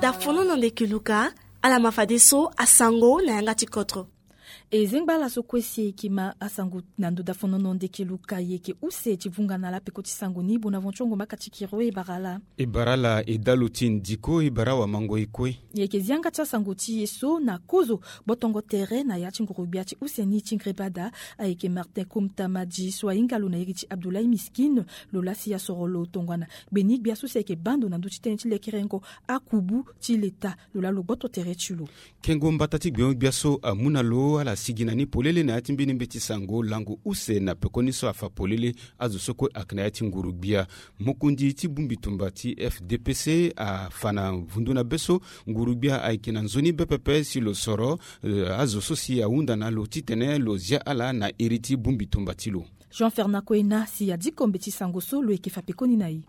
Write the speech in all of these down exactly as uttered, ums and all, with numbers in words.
Dafonono ndeke luka, ala ma fadeso asango na yanga ti kotro. E zengba ala so kue si e yeke ma asango na ndo dafonono ndeke luka, e yeke use ti vunga na ala peko ti sango ni. Bonaventure Ngomaka ti Kiro, e bara ala. E bara ala, e dalo ti ndiko, e bara wamango e kue. E yeke zi yanga ti asango ti e so na kozo gbotongo tere na ya ti nguru-gbia ti use ni ti ngreba daa, ayeke Martin Kumta Madji so ahinga lo na iri ti Abdoulaye Miskine, lo laa si asoro lo tongana gbeni gbia so si ayeke baa ndo na ndö ti tënë ti lekerengo akubu ti leta, lo laa lo gboto tere ti lo. Kengo mbata ti gbengo-gbia so amu na lo ala sigi na ni polele na ya ti mbeni mbeti sango lango use na pekoni so afa polele azo so kue ayeke na ya ti nguru-gbia. Mokonzi ti bongbi tumba ti F D P C afa na vundu na be so nguru-gbia ayeke na nzoni be pepe si lo soro, eh, azo so si ahunda na lo titene lo zia ala na iri ti bongbi tumba ti lo. Jean Fernand Koena si adiko mbeti sango so lo yeke fa pekoni na e.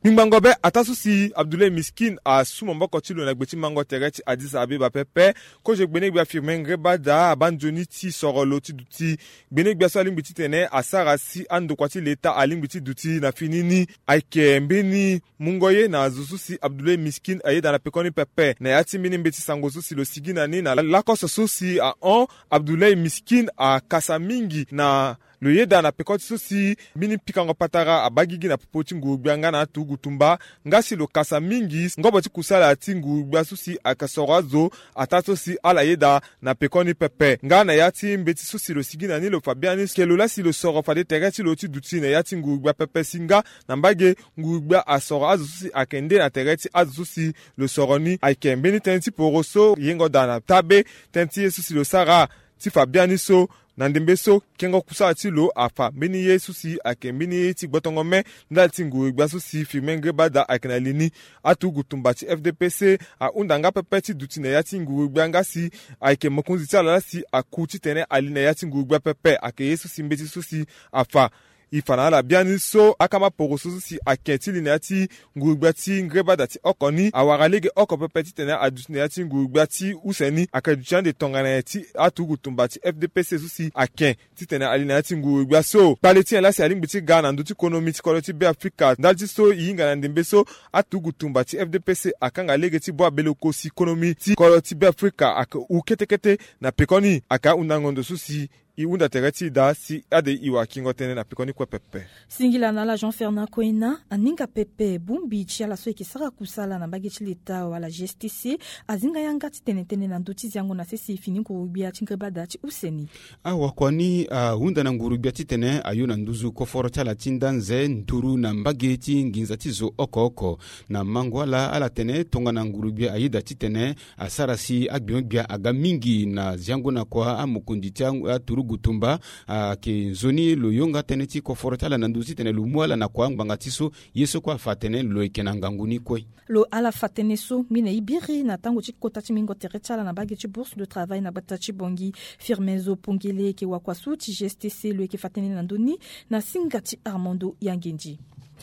Gbingbango be ataa so si Abdoulaye Miskine asu maboko ti lo na gbe ti mango tere ti Addis Abeba pepe, kozo gbene gbia Firmin Ngreba daa abaa nzoni ti soro lo ti duti. Gbene gbia so alingbi titene asara si andokua ti leta alingbi ti duti na fini ni. Ayeke mbeni mungo ye na azo so si Abdoulaye Miskine ayeda na pekoni pepe. Na ya ti mbeni mbeti sango so si lo sigi na ni na lakoso so si ahon, Abdoulaye Miskine akasa mingi na lo yeda na peko ti so si mbeni pikango patara abaa gigi na popo ti nguru-gbia nga na aturugu tumba, nga si lo kasa mingi ngobo ti kusala ti nguru-gbia so si ayeke soro azo ataa so si ala yeda na pekoni pepe. Nga na ya ti mbeti so si lo sigi na ni lo fa biani ke lo laa si lo soro fade tere ti lo ti duti na ya ti nguru-gbia pepe si nga na mbage nguru-gbia asoro azo so si ayeke nde na tere ti azo so si lo soro ni. Ayeke mbeni tënë ti poro so yengo daa na taa be tënë ti ye so si lo sara ti fa biani so. Na ndembe so kengo kusala ti lo afa mbeni ye so si ayeke mbeni ye ti gbotongo me ndali ti nguru-gbia so si Firmin Ngreba daa ayeke na li ni. Aturugu tumba ti F D P C ahunda nga pepe ti duti na ya ti nguru-gbia nga si ayeke mokonzi ti ala laa si aku titene ali na ya ti nguru-gbia pepe. Ayeke ye so si mbeti so si afa. E fa na ala biani so akama poroso so si ayeke ti li na ya ti nguru-gbia ti Ngreba daa ti oko ni awara lege oko pepe titene aduti na ya ti nguru-gbia ti use ni. Ayeke duti ande tongana nyen ti aturugu tumba ti F D P C so si ayeke titene ali na ya ti nguru-gbia so. Kpale ti nyen laa si alingbi ti ga na ndö ti konomi ti kodro ti Be Afrika ndali ti so e hinga na ndembe so aturugu tumba ti F D P C akanga lege ti bua bele ko si konomi ti kodro ti Be Afrika ayeke hu kete kete na pekoni. Ayeke ahunda ngondo so si e hunda tere ti e daa si ade e wakingo tënë na pekoni kue pepe. Singila na ala Jean Fernand Koena, aninga pepe bongbi ti ala so e yeke sara kusala na mbage ti leta wala G S T C azinga yanga titene tënë na ndö ti ziango na sese fini nguru-gbia ti Ngreba daa ti use ni. Awakua ni ahunda na nguru-gbia titene ayo na nduzu koforo ti ala ti ndanze nduru na mbage ti nginza ti zo oko oko. Na mango ala ala tene tongana nguru-gbia ayeda titene asara si agbengo-gbia aga mingi na ziango na kua amokonzi ti aturugu tumba. Ayeke nzoni lo yonga tënë ti koforo ti ala na nduzu titene lo mu ala na kua ngbanga ti so ye so kue afa atene lo yeke na ngangu ni kue. Lo ala fa tënë so ngbene e biri na tango ti kota ti mingo tere ti ala na mbage ti bourse de travail na gbata ti Bangui. Firmin Zo Pongele yeke wakua so ti G S T C, lo yeke fa tënë na ndö ni na singa ti Armando Yangendi.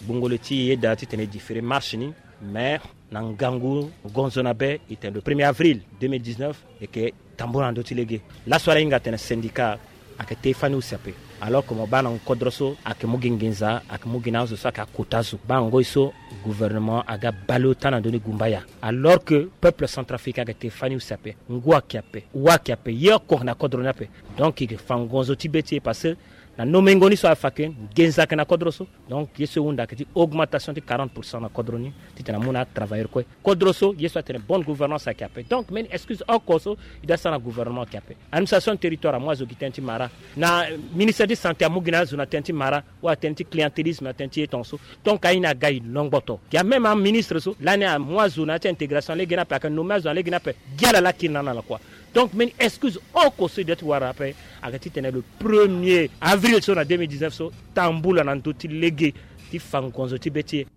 Gbongole ti e yeda titene e différer marche ni, mais na ngangu gonzo na be e tene le premier avril deux mille dix-neuf e yeke tambula na ndö ti lege. Laso ala hinga atene syndicat ayeke te fani use ape. Alors que mo baa na nkodro so ayeke mu gi nginza, ayeke mu gi na azo so ayeke akota zo. Baa ngoi so gouvernement aga bale ota na ndö ni gumbaya. Alors que peuple centrafricain ayeke te fani use ape. Ngu ayeke ape, wa ayeke ape, ye oko ayeke na kodro ni ape. Donc e yeke fa ngonzo ti be ti e parce que na nomengo ni so afa ke nginza ayeke na kodro so. Donc ye so e hunda ayeke ti augmentation ti quarante pour cent na kodro ni titene amu na atravailleur kue. Kodro so ye so atene bonne gouvernance ayeke ape. Donc mbeni excuse oko so e doit sara na gouvernement ayeke ape. Administration territoire amu azo gi tënë ti mara. Na ministère ti santé amu gi na azo na tënë ti mara, wala tënë ti clientélisme na tënë ti ye tongaso. Donc aye ni aga e longboto. Gi ameme aministre so lani amu azo na ya ti intégration lege ni ape, ayeke nommé azo na lege ni ape. Gi ala laa kiri na ala na kua. Donc mbeni excuse oko so e doit ti wara ape ayeke titene le premier avril so na deux mille dix-neuf so tambula na ndö ti lege ti fa ngonzo ti be ti e.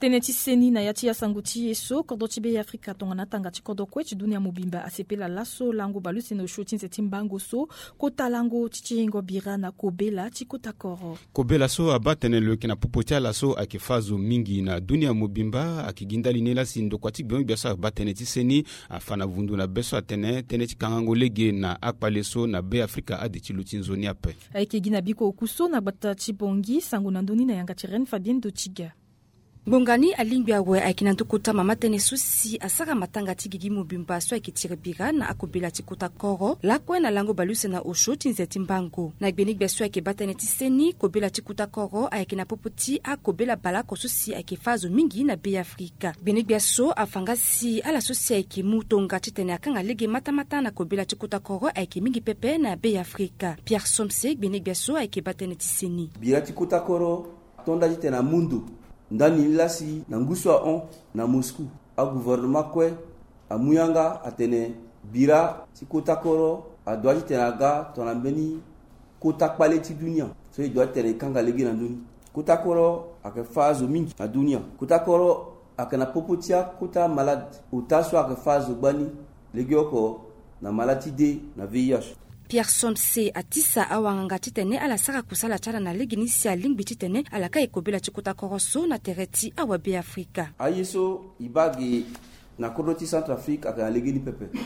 Tënë ti seni na ya ti asango ti e so, kodro ti Be Afrika tongana atanga ti kodro kue ti dunia mobimba asepela laso lango baleuse na osio ti nze ti mbango so, kota lango ti tiringo bira na kobela ti kota koro. Kobela so abaa tënë lo yeke na popo ti ala so ayeke fâ azo mingi na dunia mobimba, ayeke gi ndali ni laa si ndokua ti gbengbia so abaa tënë ti seni afa na vundu na be so atene tënë ti kangango lege na akpale so na Be Afrika ade ti lo ti nzoni ape. Ayeke gi na biko oku so na gbata ti Bangui, sango na ndö ni na yanga ti Reine Fabienne Dotiga. Ngbonga ni alingbi awe ayeke na ndö kota mama tënë so si asara matanga ti gigi mobimba so ayeke tiri bira na akobela ti kota koro lakue na lango baleuse na osio ti nze ti mbango. Na gbenegbia so ayeke baa tënë ti seni, kobela ti kota koro ayeke na popo ti akobela baleoko so si ayeke fâ azo mingi na Be Afrika. Gbenegbia so afa nga si ala so si ayeke mu tonga titene akanga lege matamata na kobela ti kota koro ayeke mingi pepe na Be Afrika. Pierre Somse, gbenegbia so ayeke baa tënë ti seni. Bira ti kota koro ato nda titene amu ndo. Ndani ni laa si na ngu so ahon na Moscou, agouvernement kue amu yanga atene bira ti kota koro adoit titene aga tongana mbeni kota kpale ti dunia so e doit titene e kanga lege na ndö ni. Kota koro ayeke fâ azo mingi na dunia. Kota koro ayeke na popo ti akota malade ota so ayeke fâ azo gbani. Legeoko na malade ti dé na V I H. Pierre Somse atisa awanganga titene ala sara kusala ti ala na legeni si alingbi titene ala kai kobela ti kota koro so na tere ti awabe Afrika. Aye so e baa ge na kodro ti Centrafrique ayeke na legeni pepe.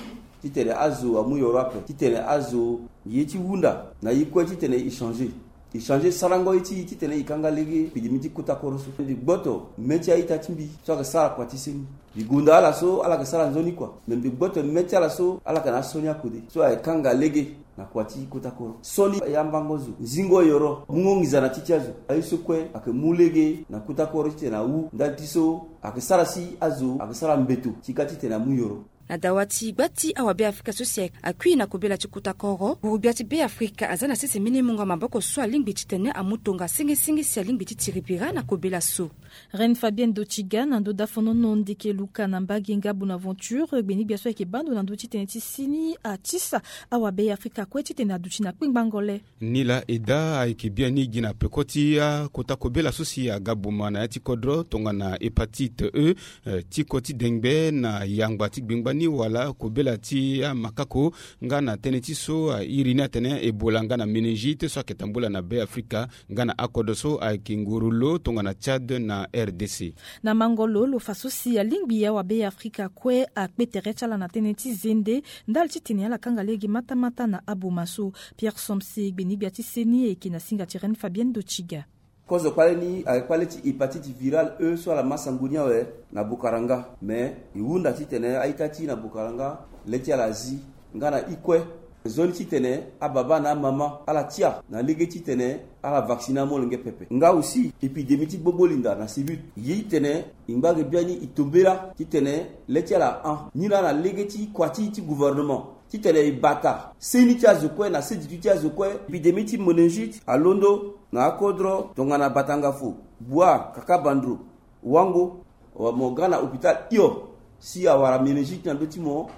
Titene azo amu yoro ape titene azo ye ti hunda na ye kue titene e changer. E changer sarango ye ti e titene e kanga lege epidémie ti kota koro so. Mbi gboto mê ti a-ita ti mbi so ayeke sara kua ti seni. Mbi gonda ala so ala yeke sara nzoni kua. Me mbi gboto mê ti ala so ala yeke na asioni akode so ayeke kanga lege na kua ti kota koro. Sioni ya mbango zo, zingo yoro, mungo nginza na ti ti azo. Aye so kue ayeke mu lege na kota koro titene awu ndali ti so ayeke sara si azo ayeke sara mbeto ti ka titene amu yoro. Na dawa ti gba ti awabe Afrika so si akui na kobela ti kota koro, gurugbia ti Be Afrika aza na sese mbeni mungo maboko so alingbi titene amu tonga sengesenge si alingbi ti tiri bira na kobela so. Reine Fabienne Dotiga na ndö dafonono ndeke luka na mbage nga Bonaventure, gbenegbia so ayeke baa ndo na ndö ti tënë ti seni atisa awabe Afrika kue titene aduti na kpengbango le. Ni laa e daa ayeke biani gi na peko ti akota kobela so si aga boma na ya ti kodro tongana hépatite E, eh, ti koti dengbe na yangba ti gbengba ni wala kobela ti amakako nga na tënë ti so, ah, iri ni atene Ebola nga na méningite so ayeke tambula na Be Afrika nga na akodro so ayeke nguru lo tongana Tchad na R D C. Na mango lo, lo fa so si alingbi awabe Afrika kue akpe tere ti ala na tënë ti zende ndali titene ala kanga lege matamata na aboma so. Pierre Somse, gbenegbia ti seni, ayeke na singa ti Reine Fabienne Dotiga. Kozo kpale ni ayeke kpale ti hépatite virale E so ala ma sango ni awe na Bokaranga. Me e hunda titene a-ita ti e na Bokaranga le ti ala azi nga na i kue. Nzoni titene ababa na amama ala tia na lege titene ala vacciner amolenge pepe. Nga aussi épidémie ti gbogbo linda na Sibut, ye titene e ngba ge biani e tombela titene le ti ala ahon. Ni laa na lege ti kua ti ti gouvernement titene e bata seni ti azo kue na seditu ti azo kue. Épidémie ti méningite alondo na akodro tongana Batangafo, Bouar, Kakabandro, Wango, wa mo ga na hôpital hio si awara méningite na ndö ti mo,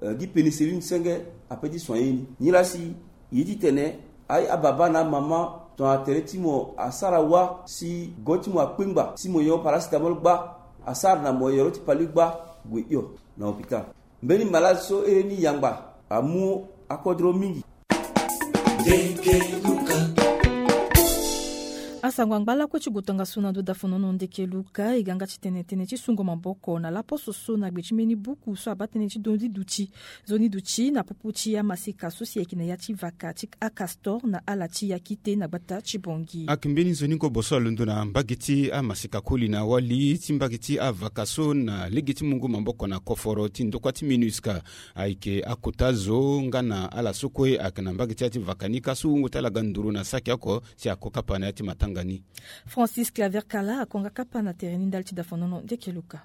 eh, gi pénicilline senge ape ti soigner ni. Ni laa si ye titene a, ababa na amama tongana tere ti mo asara wâ si go ti mo akpengba si mo yo paracétamol gba, asara na mo yoro ti pali gba, gue hio na hôpital. Mbeni malade so ere ni yangba amu akodro mingi. Asango angba lakue ti gue tongaso na ndo dafonono ndeke luka, e ga nga titene tënë ti sungo maboko na laposo so na gbe ti mbeni buku so abaa tënë ti nzoni duti, nzoni duti na popo ti amaseka so si ayeke na ya ti vaka ti akastor na ala ti Yakite na gbata ti Bangui. Ayeke mbeni nzoni ngobo so alondo na mbage ti amaseka koli na wali ti mbage ti avaka so na lege ti mungo maboko na koforo ti ndokua ti MINUSCA. Ayeke akota zo nga na ala so kue ayeke na mbage ti ya ti vaka ni ka so wungo ti ala ga nduru na saki oko si ako kapa na ya ti matanga ni. Francis Claver Kala ako nga kapa na tere ni ndali ti dafonono ndeke luka.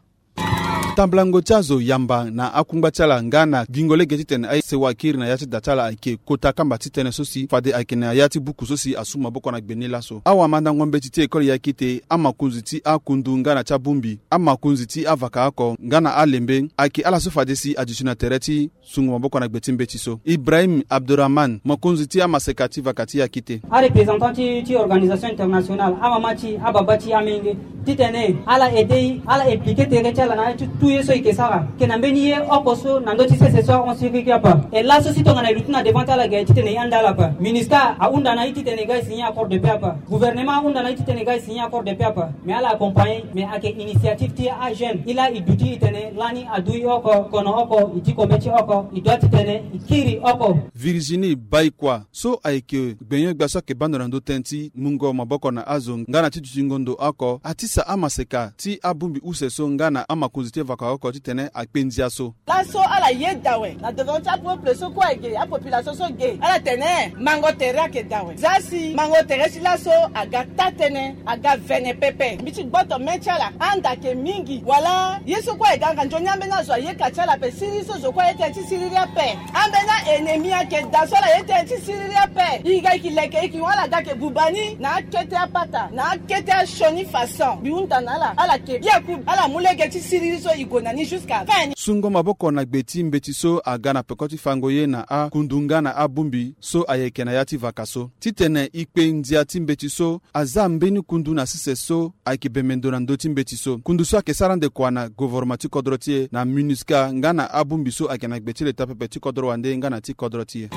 Tambulango ti azo yamba na akungba ti ala nga na gingo lege titene aye sewa kiri na ya ti da ti ala ayeke kota kamba ti tënë so si fade ayeke na ya ti buku so si asu maboko na gbe ni laso. Awamandango mbeti ti école Yakite, amakonzi ti akundu nga na ti abongbi, amakonzi ti avaka oko nga na alembe ayeke ala so fade si aduti na tere ti sungo maboko na gbe ti mbeti so. Ibrahim Abdurahman, mokonzi ti amaseka ti vaka ti Yakite. Areprésentant ti, ti organisation internationale, amama ti, ababa ti, amenge, Titene ala aide e, ala implike tere ti ala na ya ti tout ye so e ke sara. E ke na mbeni ye oko so na ndö ti sese so ahon siriri ape. E laso si tongana e luti na devant ti ala ge titene e anda ala ape. Minusca ahunda na e titene e ga e signer accord de paix ape. Gouvernement ahunda na e titene e ga e signer accord de paix ape. Mais ala accompagner, mais ayeke initiative ti ajeune. E laa e duti e tene lani adu e oko, kono oko, e ti kobe ti oko, e doit titene e kiri oko. Virginie Baikua so ayeke gbenyo-gbia so ayeke baa ndo na ndö tënë ti mungo maboko na azo nga na ti dutingo ndo oko, atisa amaseka ti abongbi use so nga na amakonzi ti vaka oko titene akpe ndia so. Laso ala yeda awe na devant ti apeuple so kue ge, apopulation so ge, ala tene mango tere ayeke daa awe. Za si mango tere ti laso aga taa-tënë, aga vene pepe. Mbi ti gboto mê ti ala, anda ayeke mingi wala ye so kue ayeke ga nganzoni ambeni azo ayeka ti ala ape, siriri so zo kue aye tënë ti siriri ape. Ambeni a-ennemi ayeke daa so ala ye tënë ti siriri ape. E ga e ke leke e ke hon ala ga ayeke buba ni na akete apata, na akete asioni façon. Mbi hunda na ala, ala yeke biaku, ala mu lege ti siriri so e gue na ni jusqu'à fin ni. Sungo maboko na gbe ti mbeti so aga na peko ti fango ye na akundu nga na abongbi so ayeke na ya ti vaka so. Titene e kpe ndia ti mbeti so, aza mbeni kundu na sese so ayeke bembe ndo na ndö ti mbeti so. Kundu so ayeke sara ndekua na govoroma ti kodro ti e na minusca nga na abongbi so ayeke na gbe ti leta pepe ti kodro wande nga na ti kodro ti e.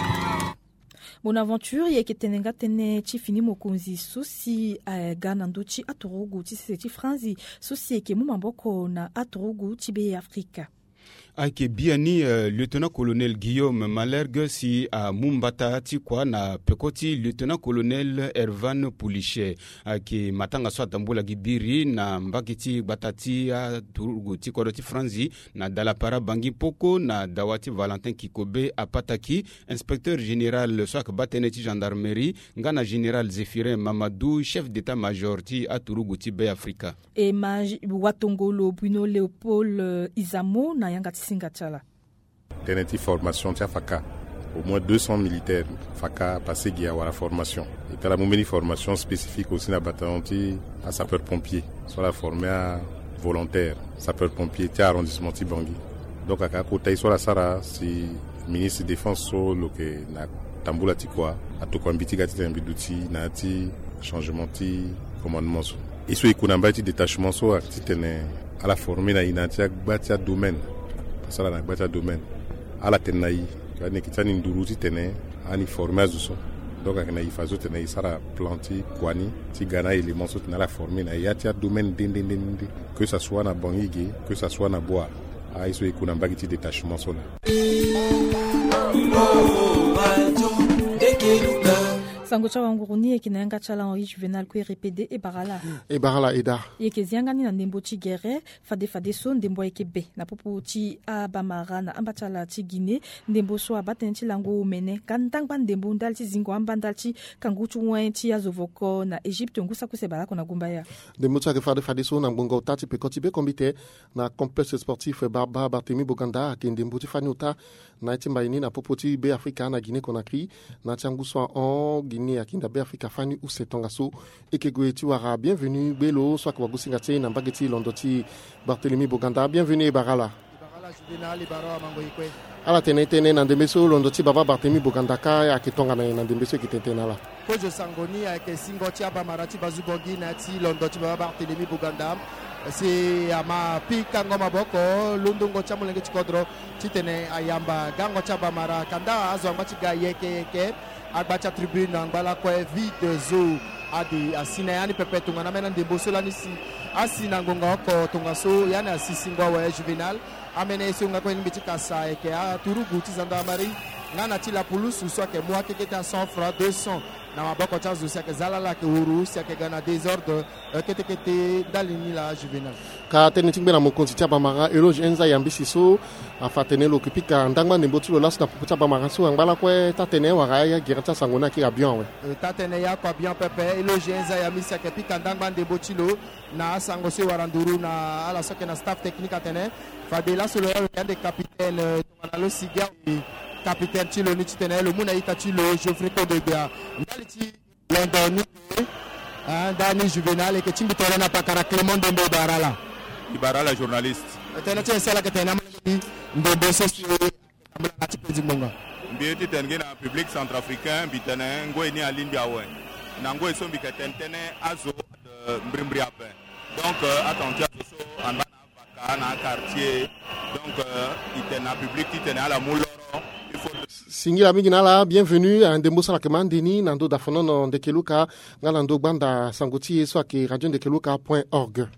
Bonaventure, e yeke tene nga tënë ti fini mokonzi so si aga na ndö ti aturugu ti sese ti Franzi so si e yeke mu maboko na aturugu ti Be Afrika. Ayeke biani, eh, lieutenant colonel Guillaume Malhergue si amu mbata ti kua na peko ti lieutenant colonel Ervan Pouliche. Ayeke matanga so atambula gi biri na mbage ti gbata ti aturugu ti kodro ti Franzi na Dalapara Bangi Mpoko na dawa ti Valentin Kikobe Apataki, inspecteur général so ayeke baa tënë ti gendarmerie, nga na général Zéphirin Mamadou, chef d'état-major ti aturugu ti Be Afrika. E ma watongolo Bruno Léopold, euh, Izamo na yanga ti singa ti ala. Tënë ti formation ti afaka, au moins deux cents militaires faka pase gi awara formation. E tala mu mbeni formation spécifique aussi na bataillon ti asapeur pompier so ala forme avolontaire sapeur pompier ti arrondissement ti Bangui. Donc aka kota ye so ala sara si ministre défense so lo yeke na tambula ti kua atokua mbi ti ga titene mbi duti na ya ti changement ti commandement so. Ye so e ku na mbage ti détachement so ayeke titene ala forme na e na ya ti agba ti adomaine. Parce que ala na agba ti adomaine, ala tene na e, ani yeke ti ani nduru titene ani forme azo so. Donc ayeke na e fa so tene e sara plan ti kua ni ti ga na aélément so tene ala forme na e ya ti adomaine nde nde nde nde, que ça soit na Bangui ge, que ça soit na Bouar. Aye so e ku na mbage ti détachement so na. Sango ti awanguru ni e yeke na yanga ti ala Henri Juvénal Kouéré Pédé. E bara ala. E bara ala Eda. E yeke zi yanga ni na ndembo ti gere. Fade fadeso ndembo ayeke be na popo ti abamara na amba ti ala ti Guinée. Ndembo so abaa tënë ti lango omene nga ndangba ndembo ndali ti zingo amba ndali ti kangu ti wen ti azo voko na Égypte ngu saki use baleoko na gumbaya. Ndembo so ayeke fade fadeso na ngbonga ota ti peko ti be kombite na complexe sportif Baba Barthélemy Boganda ayeke ndembo ti fani ota na ya ti mbai ni na popo ti Be Afrika na Guinée Conakry. Na ya ti angu so ahon Guinée ayeke hinda Be Afrika fani use tongaso. E yeke gue ti wara bienvenu gbe lo so ayeke wagosinga ti e na mbage ti londo ti Barthélemy Boganda. Bienvenu, e bara ala. E bara ala Juvénal, e bara awamango-e kue. Ala tene tënë na ndembe so londo ti Baba Barthélemy Boganda kâ ayeke tongana nyen na ndembe so e yeke tene tënë na ala? Kozo sango ni ayeke singo ti abamara ti Bazu Bangui na ya ti londo ti Baba Barthélemy Boganda. Si ama pikango maboko londongo ti amolenge ti kodro titene ayamba gango ti abamara kanda azo angba ti ga yeke yeke. Agba ti atribune angba lakue vide zo ade asi na ya ni pepe tongana ambeni andembo so lani si asi na ngonga oko tongaso ya ni asi singo awe Juvénal. Ambeni ye so nga kue ni mbi ti kasa ayeke aturugu ti gendarmerie nga na ti lapulusu so ayeke mu akeke ti a cent francs, deux cents na maboko ti azo si ayeke za lala ayeke wuru si ayeke ga na désordre. Eh, kete kete ndali ni laa Juvénal. Ka tënë ti ngbe na mokonzi ti abamara Eloge Enza Yambisi so afa atene lo yeke pika ndangba ndembo ti lo laso na popo ti abamara so angba lakue taa-tënë wala aya gere ti asango ni ayeke ga bien awe. Eh, taa-tënë ya oko abian pepe. Eloge Enza Yambisi ayeke pika ndangba ndembo ti lo na asango so e wara nduru na ala so ayeke na staff technique atene fade laso lo ya lo yeke ande capitaine, eh, tongana lo si ge awe capitaine ti lo ni titene lo mu na ita ti lo Geoffrey Kondogbia ndali ti londo ni. Ah, ndani Juvénal, e yeke tingbi tënë na pakara Clément Ndembo, e bara ala. E bara ala journaliste. Tënë ti e si ala yeke tene na amolenge ti ndembo so si tambula na ti penzi ngbonga. Mbi ye ti tene gi na public centrafricain, mbi tene ngoi ni alingbi awe. Na ngoi so mbi yeke tene tënë azo, eh, mbrimbri ape. Donc euh, attention so amba na avaka na quartier. Donc euh, itene na public ti tene ala mu loro. Singila mingi na ala, bienvenue à ndembo sala ke mandeni na ndo dafonono ndekeluka. Nga na ndo gbanda sango ti ye so ake radio ndekeluka point org.